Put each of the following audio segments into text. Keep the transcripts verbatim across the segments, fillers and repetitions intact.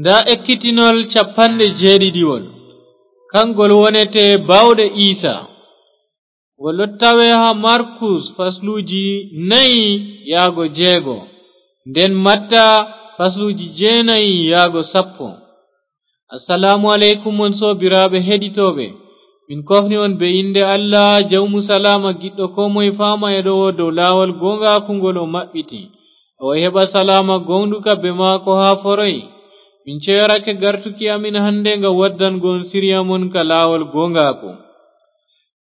Ndaa ekkitinol cappanɗe jeeɗiɗiwol, kangol wonete baawɗe Iisa. Ngol ɗo tawe haa Markus fasluuji nayi yaago jeego, nden Matta fasluuji jeenayi yaago sappo. Assalaamu aleykum, on soobiraaɓe heɗitooɓe. Min kofni on bee innde Allah, Jawmu salaama, giɗɗo koo moye faama e ɗowo dow laawol gooŋgaaku ngol o maɓɓiti. O heɓa salaama gooŋɗuka bee maako haa foroy. Min ceyorake gartuki amin hannde ngam waddango on siriya mon ka laawol gooŋgaaku.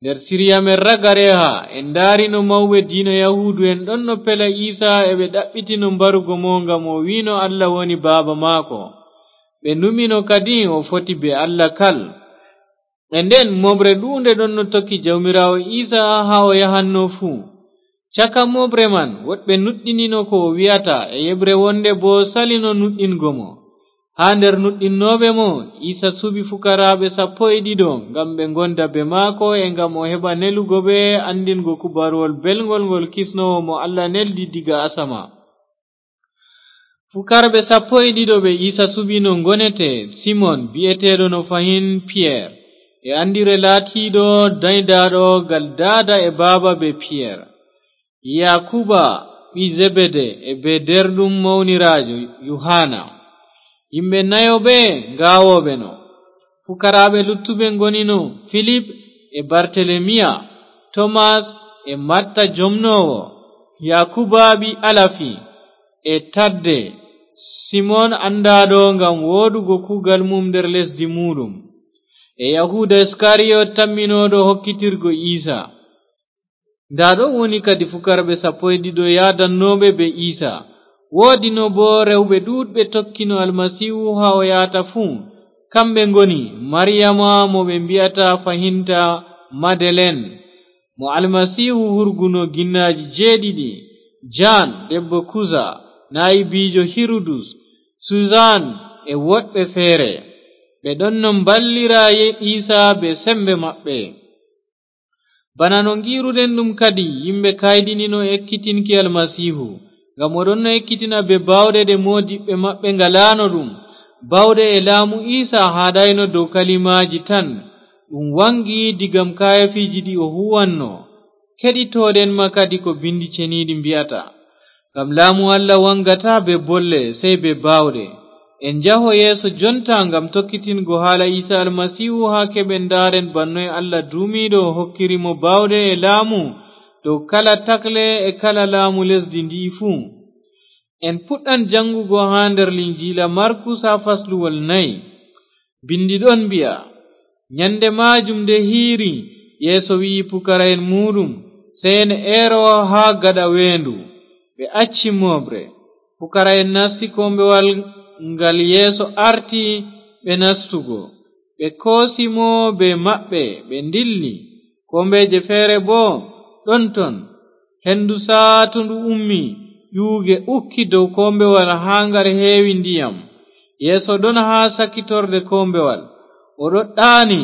Nder siriya men ragareeha, en ndaari no mawɓe diina Yahuudu'en ɗonno pela Iisa e ɓe ɗaɓɓitino mbarugo mo ngam o wi'no Allah woni Baaba maako. Ɓe numino kadi o foti bee Allah kal. E nden mooɓre ɗuunde ɗonno tokki Jawmiraawo Iisa haa o yahanno fuu. Caka mooɓre man, woɗɓe nuɗɗinino ko o wi'ata, e yeɓre wonde boo salino nuɗɗingo mo. Haa nder nuɗɗinnooɓe mo, Iisa suɓi fukaraaɓe sappo e ɗiɗo ngam ɓe ngonda bee maako e ngam o heɓa nelugo ɓe anndingo kubaruwol belŋgol ngol kisnoowo mo Allah neldi diga asama. Fukarɓe sappo e ɗiɗo ɓe Iisa suɓino ngonete Simon bi'eteeɗo no fahin Piyer, e Andire laatiiɗo danydaaɗo gal daada e baaba bee Piyer, Yakuba ɓii Zebede e bee deerɗum mawniraajo Yuhana. Yimɓe nayo ɓe ngaawooɓe no. Fukaraaɓe luttuɓe ngonino Filip e Bartelemiya, Tomas e Matta jomnoowo, Yakuba ɓii Alafi e Tadde, Simon anndaaɗo ngam woodugo kuugal mum nder lesdi muuɗum, e Yahuuda Iskariyot tamminooɗo hokkitirgo Iisa. Ndaa ɗo woni kadi fukarɓe sappo e ɗiɗo yaadannooɓe bee Iisa. Woodino boo rewɓe ɗuuɗɓe tokkino Almasiihu haa o yahata fuu. Kamɓe ngoni Mariyama mo ɓe mbi'ata fahinta Madelen, mo Almasiihu hurguno ginnaaji jeeɗiɗi, Jaan debbo Kuza, naayibiijo Hirudus, Suzan e woɗɓe feere. Ɓe ɗonno mballira Ye-, Iisa bee semmbe maɓɓe. Bana no ngi'ruɗen ɗum kadi, yimɓe kayɗinino ekkitinki Almasiihu, ngam o ɗonno ekkitina bee baawɗe ɗe moodiɓɓe maɓɓe ngalaano ɗum. Baawɗe e laamu Iisa haaɗayno dow kalimaaji tan, ɗum waŋgi digam kaayeefiiji ɗi o huuwanno. Keɗitooɗen ma kadi ko Binndi Ceniiɗi mbi'ata. Ngam laamu Allah waŋgataa bee bolle, sey bee baawɗe. En njaho yeeso jonta ngam tokkitingo haala Iisa Almasiihu haa keɓen ndaaren bana noy Allah duumiiɗo hokkiri mo baawɗe e laamu dow kala takle e kala laamu lesdi ndi'i fuu. En puɗɗan jaŋgugo haa nder Linjiila Markus haa fasluwol nayi. Binndi ɗon mbi'a, nyande maajum nde hiiri, Yeesu wi'i pukara'en muuɗum, sey en eero haa gaɗa weendu. Ɓe acci mooɓre. Pukara'en nasti kombewal ngal Yeesu arti ɓe nastugo. Ɓe koosi mo bee maɓɓe, ɓe ndilli. Kombeeje feere boo ɗon ton. Hendu saatundu ummi, ƴuuge ukki dow kombewal haa ngal heewi ndiyam. Yeesu ɗon haa sakitorde kombewal. O ɗon ɗaani,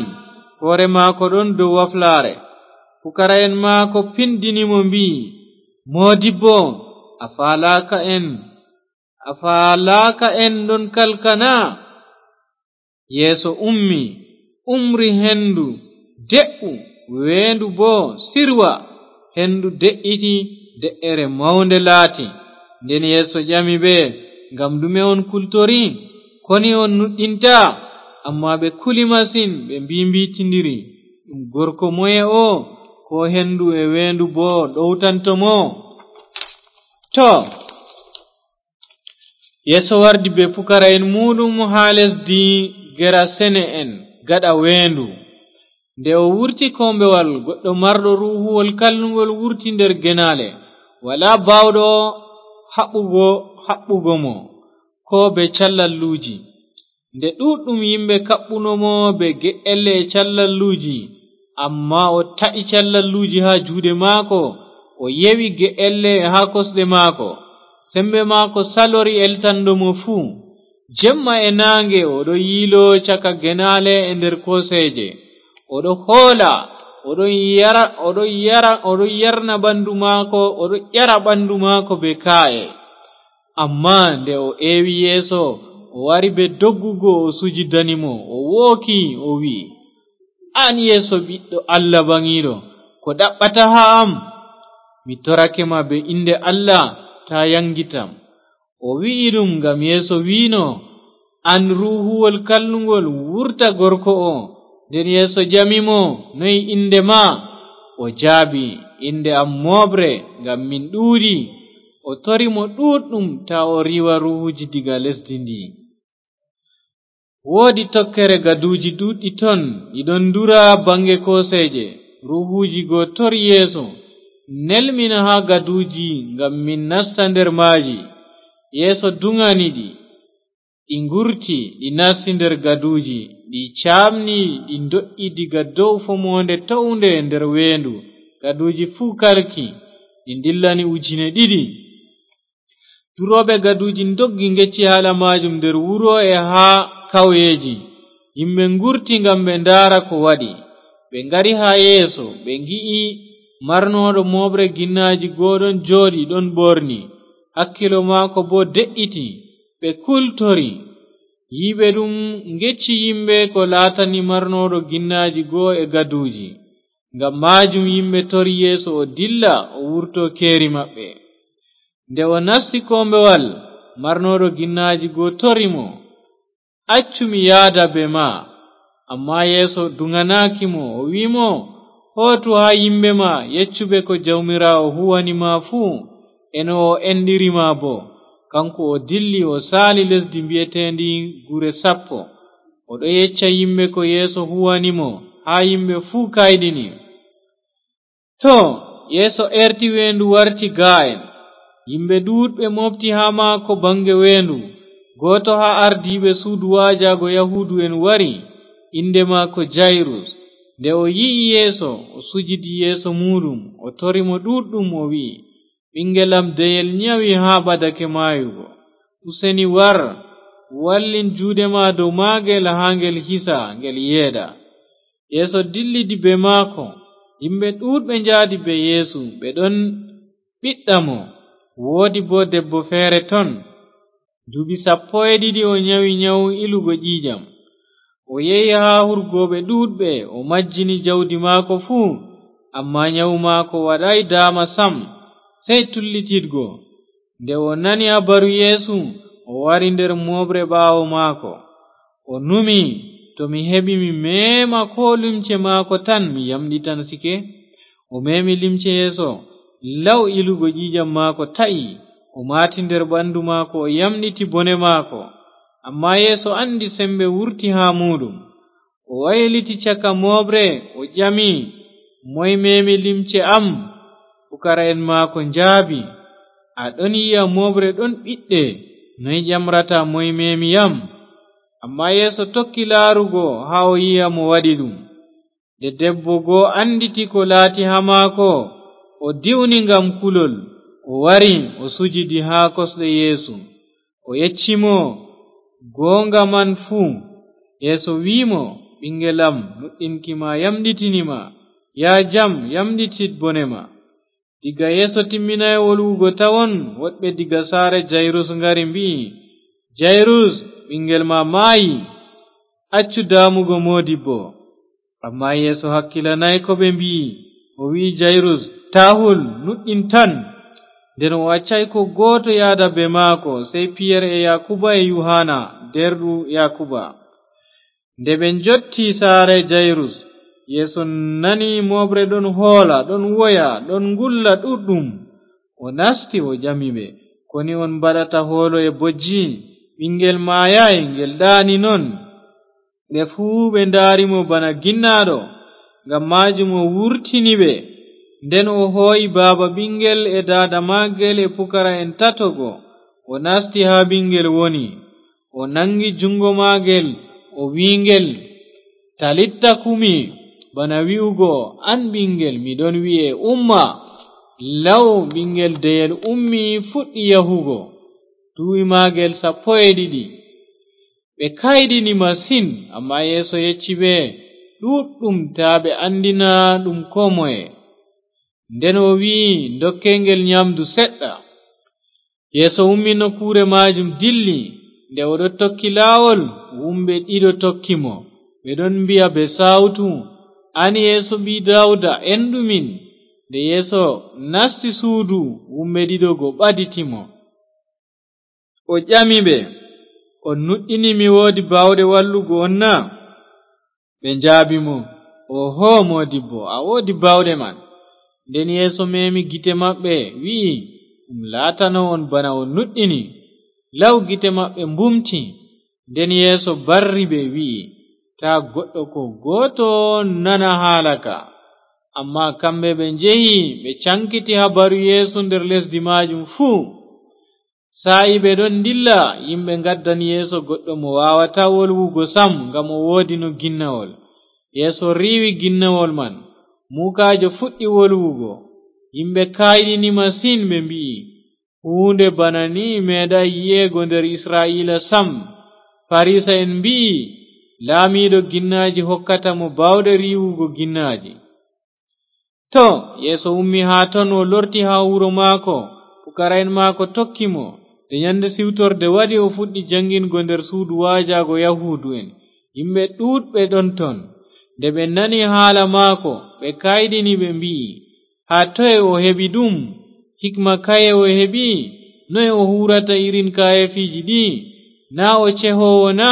hoore maako ɗon dow waflaare. Pukara'en maako pindini mo, mbi'i, "Moodibbo, a faalaaka en, a faalaaka en ɗon kalka na?" Yeesu ummi, umri hendu, "De'u!" Weendu boo sirwa, hendu de'iti, de'ere mawnde laati. Nden Yeesu ƴami ɓe, "Ngam ɗume on kultori? Koni on nuɗɗinta?" Ammaa ɓe kuli masin, ɓe mbiimbiitindiri, "Ɗum gorko moye o, ko hendu e weendu boo ɗowtanto mo?" To, Yeesu wardi bee pukara'en muuɗum haa lesdi Gerasene'en gaɗa weendu. Nde o wurti kombewal, goɗɗo marɗo ruuhuwol kalluŋgol wurti nder genaale. Walaa baawɗo haɓɓugo, haɓɓugo mo, koo bee callalluuji. Nde ɗuuɗɗum yimɓe kaɓɓuno mo bee ge'elle e callalluuji, ammaa o ta'i callalluuji haa juuɗe maako, o yewi ge'elle haa kosɗe maako. Sembe maako salori eltanɗo mo fuu. Jemma e naange o ɗo yiilo caka genaale e nder kooseeje. O ɗo hoola, o ɗon yara, o ɗon yara, o ɗon yarna ɓandu maako, o ɗon ƴara ɓandu maako bee kaa'e. Ammaa nde o eewi Yeesu, O wari be doggugo, o sujidani mo, o wooki, o wi'i, "An Yeesu, Ɓiɗɗo Allah Baŋiiɗo, ko ɗaɓɓata haa am? Mi torake ma be innde Allah, taa yaŋgitam." O wi'i ɗum ngam Yeesu wi'no, "An ruuhuwol kalluŋgol, wurta gorko o." Nden Yeesu jami mo, "Noy innde ma?" O jaabi, "Innde am Mooɓre, ngam min ɗuuɗi." O tori mo ɗuuɗɗum taa o riiwa ruuhuuji diga lesdi ndi. Woodi tokkere gaduuji ɗuuɗɗi ton, ɗi ɗon ndura baŋge kooseeje. Ruuhuuji go tori Yeesu, "Nel min haa gaduuji ngam min nasta nder maaji." Yeesu duŋani ɗi. Ɗi ngurti, ɗi nasti nder gaduuji, ɗi caamni, ɗi ndo'i diga dow fomoonde townde nder weendu. Gaduuji fuu kalki, ɗi ndillani ujine ɗiɗi. Durooɓe gaduuji ndoggi ngecci haala maajum nder wuro e haa kawyeeji. Yimɓe ngurti ngam ɓe ndaara ko waɗi. Ɓe ngari haa Yeesu, ɓe ngi'i marnooɗo mooɓre ginnaaji go ɗon jooɗi, ɗon ɓorni. Hakkilo maako boo de'iti. Ɓe kultori. Yi'ɓe ɗum ngecci yimɓe ko laatani marnooɗo ginnaaji go e gaduuji. Ngam maajum yimɓe tori Yeesu o dilla, o wurto keeri maɓɓe. Nde o nasti kombewal, marnooɗo ginnaaji go tori mo, "Accu mi yaada bee ma." Ammaa Yeesu duŋanaaki mo, o wi'i mo, "Hootu haa yimɓe ma, yeccu ɓe ko Jawmiraawo huuwani ma fuu, e no o enɗiri ma boo." Kaŋko o dilli, o saali lesdi mbiyeteendi Gure Sappo. O ɗon yecca yimɓe ko Yeesu huuwani mo, haa yimɓe fuu kayɗini. Too, Yeesu eerti weendu, warti gaa'en. Yimɓe ɗuuɗɓe mooɓti haa maako baŋge weendu. Gooto haa ardiiɓe suudu waajaago Yahuudu'en wari, innde maako Jayrus. Nde o yi'i Yeesu, o sujidi yeeso muuɗum, o tori mo ɗuuɗɗum, o wi'i, "Ɓiŋngel am deyel nyawi haa ɓadake maayugo. Useni war, wallin juuɗe ma dow maagel haa ngel hisa, ngel yeeɗa." Yeesu dillidi bee maako. Yimɓe ɗuuɗɓe njaadi bee Yeesu, ɓe ɗon ɓiɗɗa mo. Woodi boo debbo feere ton, duuɓi sappo e ɗiɗi o nyawi nyawu ilugo ƴiiƴam. O yehi haa hurgooɓe ɗuuɗɓe, o majjini jawdi maako fuu, ammaa nyawu maako waɗaay daama sam, sey tullitidgo. Nde o nani habaru Yeesu, o wari nder mooɓre ɓaawo maako. O numi, "To mi heɓi mi meema koo limce maako tan, mi yamɗitansike." O meemi limce Yeesu, law ilugo ƴiiƴam maako ta'i, o maati nder ɓandu maako, o yamɗiti bone maako. Ammaa Yeesu anndi sembe wurti haa muuɗum. O wayliti caka mooɓre, o ƴami, "Moy meemi limce am?" Pukara'en maako njaabi, "A ɗon yi'a mooɓre ɗon ɓiɗɗe, noy ƴamrata, 'Moy meemi yam?'" Ammaa Yeesu tokki laarugo haa o yi'a mo waɗi ɗum. Nde debbo go annditi ko laati haa maako, o diwni ngam kulol, o wari, o sujidi haa kosɗe Yeesu. O yecci mo gooŋga man fuu. Yeesu wi'i mo, "Ɓiŋngel am, nuɗɗinki ma yamɗitini ma. Yah jam, yamɗitit bone ma." Diga Yeesu timminaay wolwugo tawon, woɗɓe diga saare Jayrus ngari mbi'i, "Jayrus, ɓiŋngel ma maayi. Accu daamugo moodibbo." Ammaa Yeesu hakkilanaay ko ɓe mbi'i. O wi'i Jayrus, "Taa hul, nuɗɗin tan." Nden o accaay koo gooto yahda bee maako, sey Piyer e Yakuba e Yuhanna, deerɗu Yakuba. Nde ɓe njotti saare Jayrus, Yeesu nani mooɓre ɗon hoola, ɗon woya, ɗon ngulla ɗuuɗɗum. O nasti, o ƴami ɓe, "Koni on mbaɗata hoolo e bojji? Ɓiŋngel maayaay, ngel ɗaani non." Ɓe fuu ɓe ndaari mo bana ginnaaɗo, ngam maajum o wurtini ɓe. Nden o hoo'i baaba ɓiŋngel e daada maagel e pukara'en tato go, o nasti haa ɓiŋngel woni. O naŋgi juŋngo maagel, o wi'i ngel, "Talitta kumi," bana wi'ugo, "An ɓiŋngel, mi ɗon wi'e, umma." Law ɓiŋngel deyel ummi, fuɗɗi yahugo. Duuɓi maagel sappo e ɗiɗi. Ɓe kayɗini masin, ammaa Yeesu yecci ɓe ɗuuɗɗum taa ɓe anndina ɗum koo moye. Nden o wi'i, "Ndokke ngel nyaamdu seɗɗa." Yeesu ummi nokkuure maajum, dilli. Nde o ɗon tokki laawol, wumɓe ɗiɗo tokki mo. Ɓe ɗon mbi'a bee saawtu, "An Yeesu ɓii Daawuda, enɗu min." Nde Yeesu nasti suudu, wumɓe ɗiɗo go ɓaditi mo. O ƴami ɓe, "On nuɗɗini mi woodi baawɗe wallugo on na?" Ɓe njaabi mo, "Ooho, moodibbo, a woodi baawɗe man." Nden Yeesu meemi gite maɓɓe, wi'i, "Ɗum laatano on bana on nuɗɗini." Law gite maɓɓe mbumti. Nden Yeesu barri ɓe, wi'i, "Taa goɗɗo koo gooto nana haala ka." Ammaa kamɓe ɓe njehi, ɓe caŋkiti habaru Yeesu nder lesdi maajum fuu. Saa'i ɓe ɗon ndilla, yimɓe ngaddani Yeesu goɗɗo mo waawataa wolwugo sam, ngam o woodino ginnawol. Yeesu riiwi ginnawol man. Muukaajo fuɗɗi wolwugo. Yimɓe kayɗini masin, ɓe mbi'i, "Huunde bana ni meeɗaay yi'eego nder Isra'iila sam." Farisa'en mbi'i, "Laamiiɗo ginnaaji hokkata mo baawɗe riiwugo ginnaaji." To, Yeesu ummi haa ton, o lorti haa wuro maako. Pukara'en maako tokki mo. Nde nyande siwtorde waɗi, o fuɗɗi jaŋgingo nder suudu waajaago Yahuudu'en. Yimɓe ɗuuɗɓe ɗon ton. Nde ɓe nani haala maako, ɓe kayɗini, ɓe mbi'i, "Haa toye o heɓi ɗum? Hikma kaye o heɓi? Noye o huuwrata irin kaayeefiiji ɗi? Naa o cehoowo na?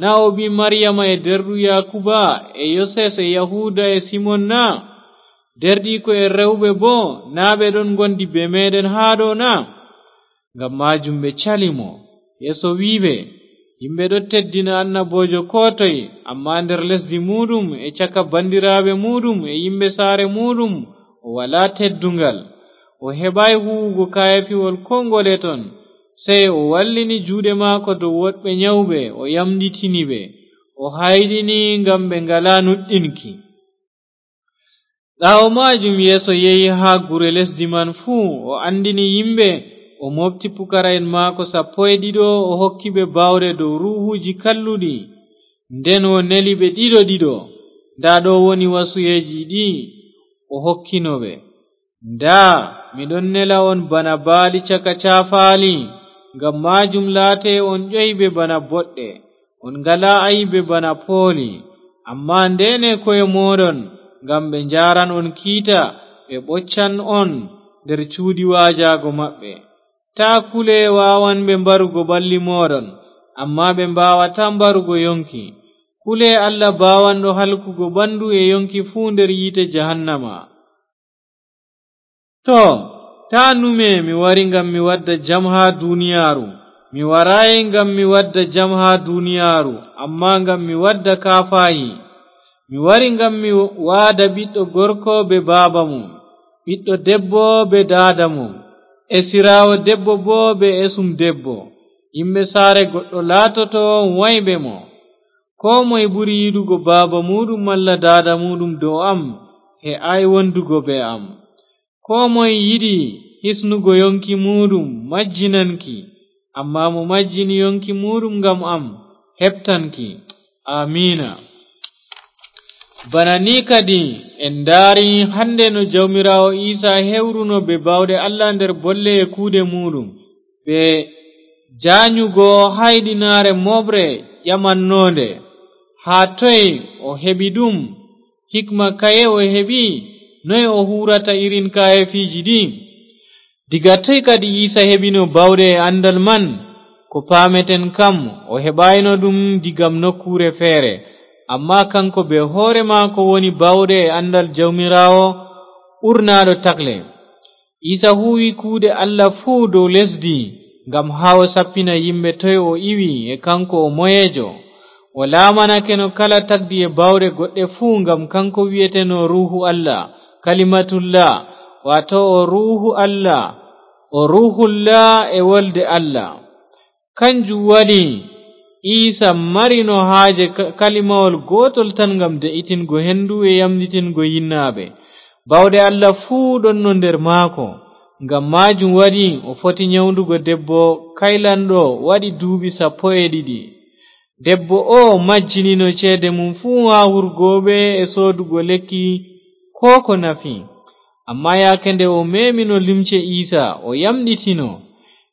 Naa o ɓii Maryama e deerɗu Yaakuba e Yoses e Yahuuda e Simon na? Deerɗiiko'en rewɓe boo, naa ɓe ɗon ngondi bee meeɗen haa ɗo na?" Ngam maajum ɓe cali mo. Yeesu wi'i ɓe, "Yimɓe ɗon teddina annaboojo koo toy, ammaa nder lesdi muuɗum e caka bandiraaɓe muuɗum e yimɓe saare muuɗum, o walaa tedduŋgal. O heɓaay huuwugo kaayeefiwol koo ngole ton, sey o wallini juuɗe maako dow woɗɓe nyawɓe, o yamɗitini ɓe, o hayɗini ngam ɓe ngalaa nuɗɗinki." Ɓaawo maajum, Yeesu yehi haa gure lesdi man fuu, o anndini yimɓe, o mooɓti pukara'en maako sappo e ɗiɗo, o hokki ɓe baawɗe dow ruuhuuji kalluɗi. Nden o neli ɓe ɗiɗo ɗiɗo, "Ndaa ɗo woni wasuyeeji ɗi o hokkino ɓe. Ndaa, mi ɗon nela on bana baali caka caafaali, ngam maajum laate on ƴoyɓe bana boɗɗe, on ngalaa aybe bana pooli. Ammaa ndeene ko'e mooɗon, ngam ɓe njaaran on kiita, ɓe ɓoccan on nder cuuɗi waajaago maɓɓe. Taa kule waawanɓe mbarugo ɓalli mooɗon, ammaa ɓe mbaawataa mbarugo yonki. Kule Allah baawanɗo halkugo ɓandu e yonki fuu nder yiite jahannama." To, taa nume, mi wari ngam mi wadda jam haa duniyaaru. Mi waraay ngam mi wadda jam haa duniyaaru, ammaa ngam mi wadda kaafahi. Mi wari ngam mi waada ɓiɗɗo gorko bee baaba mum, ɓiɗɗo debbo bee daada mum, esiraawo debbo boo bee esum debbo. Yimɓe saare goɗɗo laatoto wayɓe mo. Koo moy ɓuri yiɗugo baaba muuɗum malla daada muuɗum dow am, he'aay wondugo bee am. Koo moy yiɗi hisnugo yonki muuɗum, majjinan ki, ammaa mo majjini yonki muuɗum ngam am, heɓtan ki. Aamiina. Bana ni kadi en ndaari hannde no Jawmiraawo Iisa hewruno bee baawɗe Allah nder bolle e kuuɗe muuɗum, bee jaanyugo hayɗinaare mooɓre ƴamannoonde. Haa toy o heɓi ɗum? Hikma kaye o heɓi? Noy o huuwrata irin kaayeefiiji ɗi? Diga toy kadi Iisa heɓino baawɗe e anndal man? Ko paameten kam, o heɓaayno ɗum diga nokkuure feere, ammaa kaŋko bee hoore maako woni baawɗe e anndal Jawmiraawo ɓurnaaɗo takle. Iisa huuwi kuuɗe Allah fuu dow lesdi, ngam haa o sappina yimɓe toy o iwi e kaŋko o moyeejo. O laamanakeno kala tagdi e baawɗe goɗɗe fuu, ngam kaŋko wi'eteno Ruuhu Allah, Kalimatullah, waato o Ruuhu Allah, o Ruuhullah e Wolde Allah. Kanjum waɗi Iisa marino haaje ka-, kalimawol gootol tan ngam de'itingo hendu e yamɗitingo yinnaaɓe. Baawɗe Allah fuu ɗonno nder maako. Ngam maajum waɗi o foti nyawdugo debbo kaylanɗo waɗi duuɓi sappo e ɗiɗi. Debbo oo majjinino ceede mum fuu haa hurgooɓe e soodugo lekki koo ko nafi. Ammaa yaake nde o meemino limce Iisa, o yamɗitino.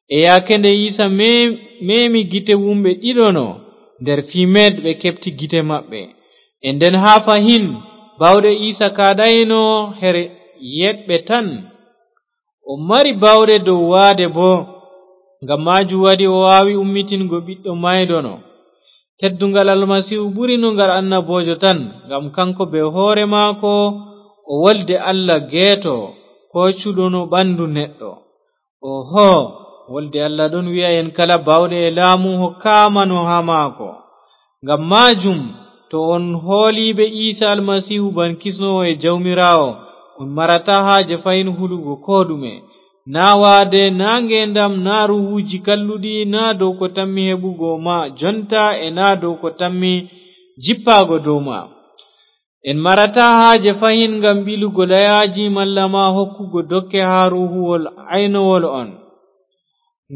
E yaake nde Iisa mem-, memi gite wumɓe ɗiɗo no, nder fii meeɗ ɓe keɓti gite maɓɓe. E nden haa fahin, baawɗe Iisa kaaɗayno her yeeɗɓe tan. O mari baawɗe dow waade boo, ngam maajum waɗi o waawi ummitingo ɓiɗɗo mayɗo no. Teddungal Almasiihu ɓurino ngal annaboojo tan, ngam kanko bee hoore maako o wolde Allah geeto, koocuɗo no ɓandu neɗɗo. Oho, wolde Allah ɗon wi'a en kala baawɗe e laamu hokkaama no haa maako. Ngam maajum, to on hooliiɓe Iisa Almasiihu ban kisnoowo e Jawmiraawo, on marataa haaje fahin hulugo koo ɗume. Naa waade, naa ngeendam, naa ruuhuuji kalluɗi, naa dow ko tammi heɓugo ma jonta e naa dow ko tammi jippaago dow ma. En marataa haaje fahin ngam ɓilugo layaaji malla ma hokkugo dokke haa ruuhuwol aynowol on.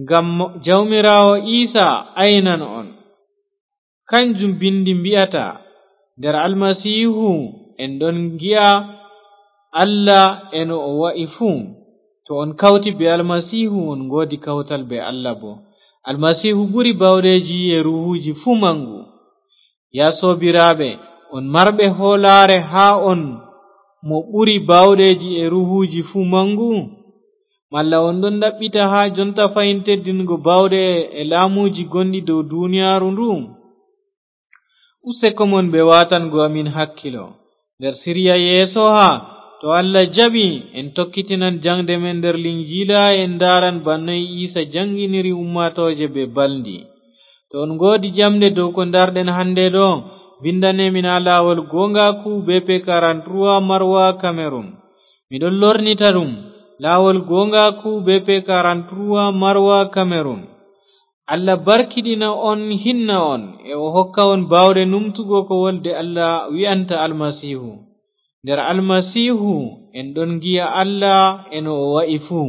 Ngam Jawmiraawo Iisa aynan on. Kanjum bindi mbi'ata, nder Almasiihu en ɗon ngi'a Allah e no o wa'i fuu. To on kawti bee Almasiihu, on ngoodi kawtal bee Allah boo. Almasiihu ɓuri baawɗeeji e ruuhuuji fuu maŋgu. Yaa soobiraaɓe, on marɓe hoolaare haa on mo ɓuri baawɗeeji e ruuhuuji fuu maŋgu? Malla on ɗon ɗaɓɓita haa jonta fahin teddingo baawɗe e laamuuji gonɗi dow duniyaaru ndu? Useko mon bee waatango amin hakkilo. Nder siriya yeeso haa, to Allah jaɓi, en tokkitinan jaŋgde men nder Linjiila, en ndaaran bana noy Iisa jaŋginiri ummaatooje bee balndi. To on ngoodi jaŋde dow ko ndaarɗen hannde ɗo, vindane min haa laawol gooŋgaaku B P quarante-trois Marwa Cameroon. Mi ɗon lornita ɗum, laawol gooŋgaaku B P quarante-trois Marwa Cameroon. Allah barkiɗina on, hinna on, e o hokka on baawɗe numtugo ko wolde Allah wi'anta Almasiihu. Nder Almasiihu en ɗon ngi'a Allah e no o wa'i fuu.